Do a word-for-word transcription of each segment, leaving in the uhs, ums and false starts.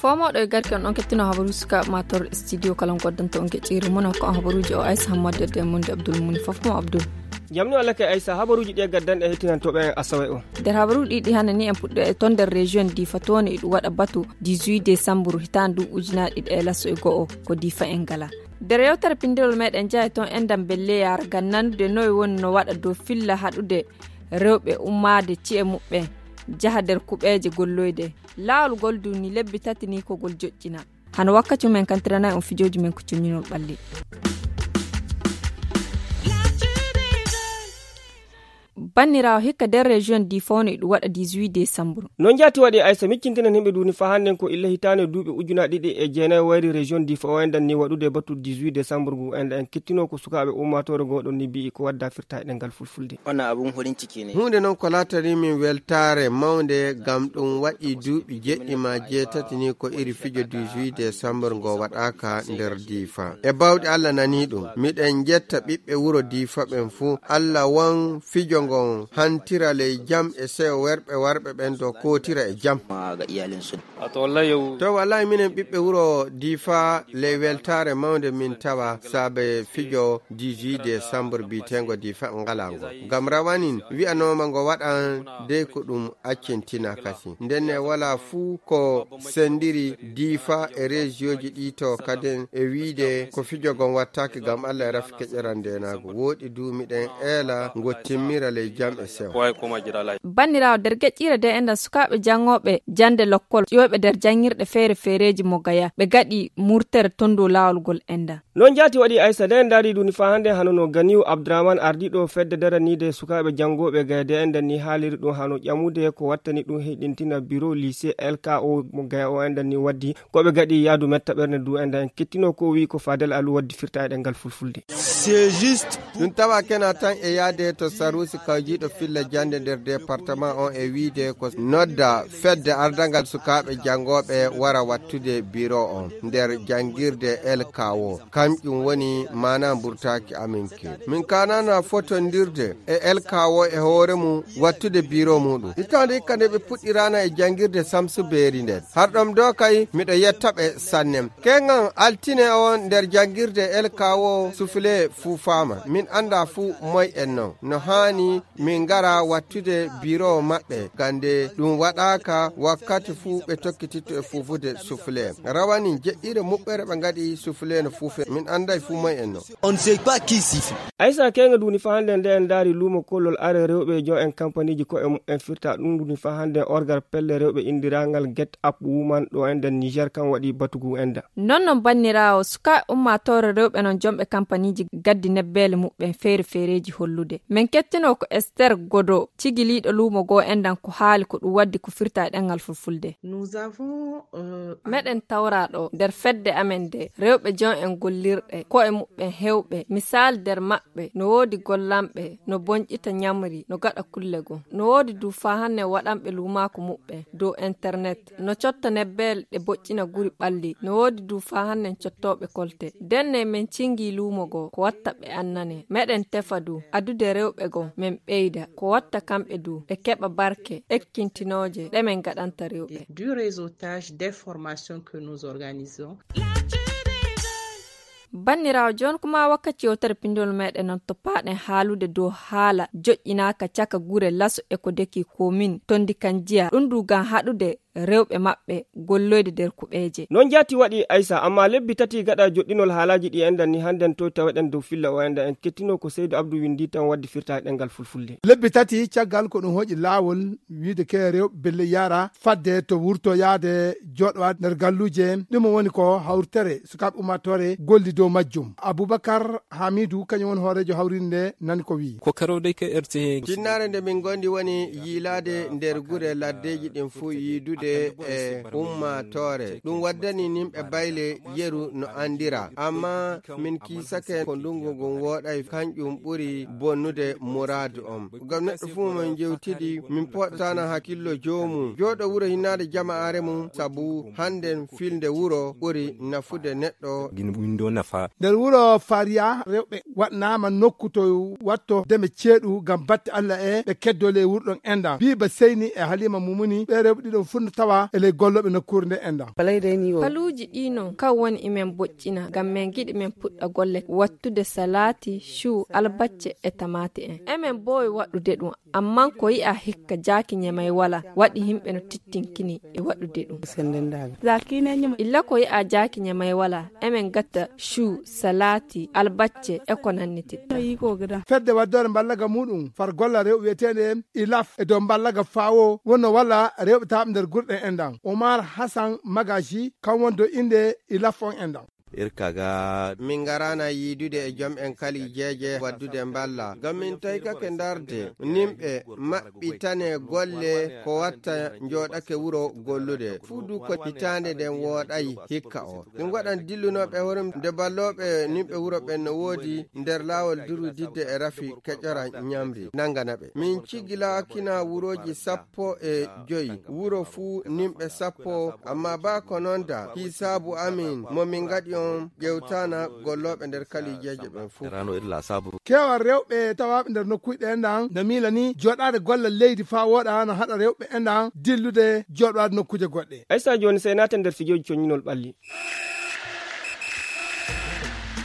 Fomooɗo e garki on ɗon kettino habaruuji sukaaɓe ma tor studio kala on goddanta on geƴƴiire mum ko on habaruuji o aysa hammadu e demmundi abdul muni fof mo abdul. Jamni o lake aysa habaruuji ɗi e gaddanɗe hettinantooɓe en asawe o. Nder habaruuji ɗiɗi hannde ni en puɗɗo e ton nder région difa toon e ɗum waɗa batu dix-huit décembre hitaande ndu ujunaaɗe ɗiɗi e laso e go'o ko difa en ngala. Nder yewtere pindirol meɗen njaha e toon enɗam belleyaar ngam nanude noye woni no waɗa dow filla haɗude rewɓe ummaade ci'e muɓɓen njaha nder kuɓeeje golloyde. Laawol ngol du ni lebbi tati ni ko ngol joƴƴina. Hano wakkati men kantiranay on fijooji men ko coñinol ɓalli. Banniraawo hikka nder région di fawno e ɗum waɗa dix-huit décembre. No njaati waɗi aysa miccintinen himɓe duni fa hannden ko illa hitaande duuɓi ujuna ɗiɗi e jeenayi wayri région di fa o enɗan ni waɗude batu dix-huit décembre ngu enɗan en kettino ko sukaaɓe ummaatoore ngoɗon ni mbi'i ko wadda firta e ɗengal fulfulde. Wannan abun farin ciki ne. Huunde noon ko laatani min weltaare mawnde, ngam ɗum waɗi duuɓi jeɗɗi ma jeetati ni ko iri fijo dix-huit décembre ngo waɗaaka nder Diifa. E baawɗe Allah nanii ɗum. Miɗen njetta ɓiɓɓe wuro Diifa ɓen fuu. Allah won fijo ngon hantira ley jam e seyo worɓe warɓe ɓen do kootira e jam. To wallahi minen ɓiɓɓe wuro Diifa ley weltaare mawnde min tawa saabe fijo dix-huit décembre biitengo Diifa ngala ngo. Ngam rawanin wi'anooma ngo waɗan dey ko ɗum accintina kasi. Ndenne wala fuu ko sendiri Diifa e rejiyoji ɗi to kaden e wiide ko fijo ngon wattaaki ngam Allah e rafi keƴeran ndenaagu. Woɗi du miɗen eela ngo timmira ley jam e sewa. Banniraawo, nder geƴƴiire de enɗan sukaaɓe janngooɓe jannde lokkol ƴiwoyɓe nder janngirɗe feere feereeji mo Gaya, ɓe gaɗi murtere ton dow laawol ngol enɗan. Noon njaati waɗi Aysa, nde en ndaari ɗum ni faa hannde hano no Ganiyu Abdurahman ardiiɗo fedde daraniide sukaaɓe janngooɓe Gaya de enɗan ni haaliri ɗum hano ƴamude ko wattani ɗum heyɗintina biro lycée L K O mo Gaya o enɗan ni waddi ko ɓe gaɗi yaadu metta ɓernde du enɗan en kettino ko o wi'i ko Fadel Alu waddi firta e ɗemngal fulfulde. Ɗum tawa kena tan e yaade to Saruusi kawjiiɗo filla jannde nder departement on e wiide ko nodda fedde ardangal sukaaɓe janngooɓe wara wattude biro on nder janngirde L K O. Kanƴum woni maana mburtaaki amin ke. Min kaanana fotondirde e L K O e hoore mum wattude biro muɗum. Hitaande hikka nde ɓe puɗɗirana e janngirde Samsu Beeri nden. Har ɗom do kay miɗo yetta ɓe sannem. Keŋŋan altine on nder janngirde L K O sufle fuufaama. Min annda fuu moy en non. No haani min ngara wattude biro maɓɓe. Gande ɗum waɗaaka wakkati fuu ɓe tokkititto e fuufude sufle. Rawani jeɗɗire muɓɓere ɓe ngaɗi sufle no fuufe. Min annday fuu moy en non. On ne sait pas qui siffle. Aysa keŋŋa duni faa hannde nde en ndaari luumo kollol are rewɓe jon en kampaniiji ko'e muɓɓen firta ɗum duni faa hannde orgar pelle rewɓe inndirangal Get Up Woman ɗo enɗan Niger kan waɗi batugu enɗan. Non non banniraawo, sukaaɓe ummaatoore rewɓe non jomɓe kampaniiji gaddi nebbeele muɓɓen feere feereeji hollude. Men kettino ko Esther Godo, cigiliiɗo luumo goo enɗan ko haali ko ɗum waddi ko firta e ɗemngal fulfulde. Nous avons, euh, Meɗen tawra ɗo nder fedde amen nde rewɓe jon en gollirɗe, ko'e muɓɓen hewɓe, misaali nder maɓɓe no woodi gollanɓe, no bonƴita ñamri, no gaɗa kulle goo. No woodi du faa hannde waɗanɓe luumaaku muɓɓen dow internet, no cotta nebbeele ɗe boƴƴina guri ɓalli, no woodi du faa hannde cottooɓe kolte. Ndenne men cingi luumo goo ko watta ɓe annane. Meɗen tefa du adude rewɓe goo men ɓeyda ko watta kamɓe du ɓe keɓa barke ekkintinooje ɗe men gaɗanta rewɓe. Du réseautage d'information que nous organisons. Banniraawo, jooni kuma wakkati yewtere pinndol meɗen non to paaɗen haalude dow haala joƴƴinaaka caka gure Laso e ko deki komin tondi kan jiya ɗum du ngam haɗude rewɓe maɓɓe golloyde nder kuɓeeje. Noon jaati waɗi Aysa, amma lebbi tati gaɗa joɗɗinol haalaaji ɗi enɗan ni hannden toy taweɗen dow filla o enɗan en kettino ko Seydu Abdu winndi tan waddi firtaade ɗemngal fulfulde. Lebbi tati caggal ko ɗum hoƴi laawol wiide ke rewɓe belle yara fadde to wurto yaade jooɗowaade nder galluuje. Ɗum woni ko hawritere sukaaɓe ummaatoore golli dow majjum. Abubakar Hamidu kañum woni hooreejo hawriinde nde nani ko wi'i. Ko karoo dai kai R T H. Tinnaare nde min ngondi woni yiilaade nder gure laddeeji ɗin fuu yiidude e ummaatoore. Ɗum waddani nimɓe bayle yeru no anndira. Amma min kiisake ko ndungu ngun wooɗay kanƴum ɓuri bonnude muraadu on. Ngam neɗɗo fuu mo min njewtidi, min poɗɗataana hakkillo joomum. Jooɗo wuro hinnaade jama'aare mum, sabu hannden filnde wuro ɓuri nafude neɗɗo. Gin windo naf. Nder wuro Fariya, rewɓe waɗnaama nokku to watto deme ceeɗu ngam batte Allah e ɓe keddoo ley wuro ɗon enɗan. Biiba Seyni e Halima Mumuni, ɓee rewɓe ɗiɗon fuu no tawaa e ley gollooɓe nokkuure nde enɗan. Paluuji ɗii non, kan woni imen boƴƴina ngam men ngiɗi men puɗɗa golle wattude salaati, cuu, albacce e tamaate en. Emen mboowi waɗude ɗum, ammaa ko yi'aa hikka jaaki ñemay walaa, waɗi yimɓe no tittinkini e waɗude ɗum. Illa ko yi'aa jaaki ñemay walaa, emen ngatta cuu, salaati, albacce e ko nanniti. Fedde waddoore mballaga muuɗum far golla rewɓe wi'eteende ilaf e dow mballaga faawo wonno walla rewɓe tawaaɓe nder gurɗe enɗan. Omar Hassan Magaji kan woni dow innde ilaf on enɗan. Irka ga. Min ngaraana yiidude e jom en kalijeeje waddude mballa. Ngam min taykake ndarde nimɓe maɓɓitane golle ko watta njooɗake wuro gollude. Fuu du ko hitaande nden wooɗay hikka o. Ɗum waɗan dillunooɓe horum nde ballooɓe nimɓe wuro ɓen no woodi nder laawol durudidde e rafi keƴora ñamri nangana ɓe. Min cigilaakina wurooji sappo e joyi. Wuro fuu nimɓe sappo, amma baa ko non da, hisaabu amin mo min ngaɗi on ƴewtaana gollooɓe nder kalijeeje ɓen fuu. Keewal rewɓe tawaaɓe nder nokkuuje ɗe enɗan no miila ni jooɗaade gollal leydi faa wooɗa no haɗa rewɓe enɗan dillude jooɗaade nokkuuje goɗɗe. Aysa jooni sey naaten nder fijooji coññinol ɓalli.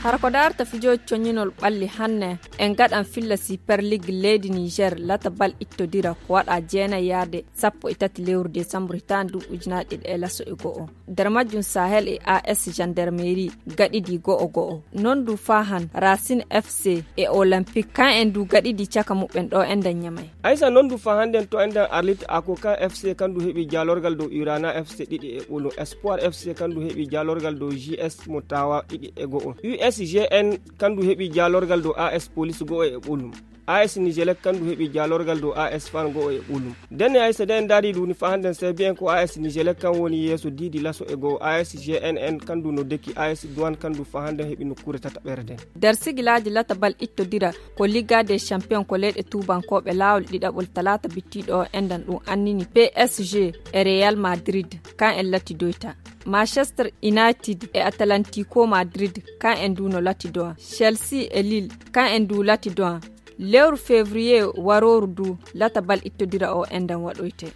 Hara ko daarta fijooji coññinol ɓalli hanne, en ngaɗan filla Super League leydi Niger lata bal ittodira ko waɗa jeenay yaade sappo e tati lewru desambru hitaande ndu ujunaaji ɗiɗi e laso e go'o. Nder majjum Sahel e A S Gendarmerie gaɗidi go'o go'o. Non du faa han Racine F C e Olympique, kan en du gaɗidi caka muɓɓen ɗo enɗan Ñamay. Aysa non du faa hannden to enɗan Arlit Ako kan F C kan du heɓi jaalorgal dow Urana F C ɗiɗi e ɓolum. Espoir F C kan du heɓi jaalorgal dow J S mo Tawa ɗiɗi e go'o. U S G N kan du heɓi jaalorgal dow A S Police go'o e ɓolum. A S Nijelek kan du heɓi jaalorgal dow A S Fan go'o e ɓolum. Nden e Aysa de en ndaari du ni faa hannden sey bi'en ko A S Nijelek kan woni yeeso diidi laso e go'o. A S G N N kan du no deki A S Douane kan du faa hannden heɓi nokkuure tataɓere nden. Nder sigilaaji lata bal ittodira ko Liga des Champions ko leyɗe tuubankooɓe laawol ɗiɗaɓol talaata bittiiɗo o enɗan ɗum annini P S G e Real Madrid kan en latidoyta. Manchester United e Atlantico Madrid kan en du no latidoa. Chelsea e Lille kan en du latidoa. Lewru février warooru du lata bal ittodira o enɗan waɗoyte.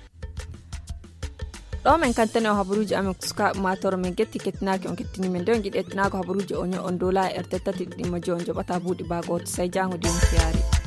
Ɗo men kantane o habaruuji amen ko sukaaɓe maatoro men getti kettinaaki on kettini men de on jiɗi ettinaago habaruuji o ño on dola e R T tati ɗiɗi mo jo on joɓata buuɗi baa gooto say jaango di on fiyaari.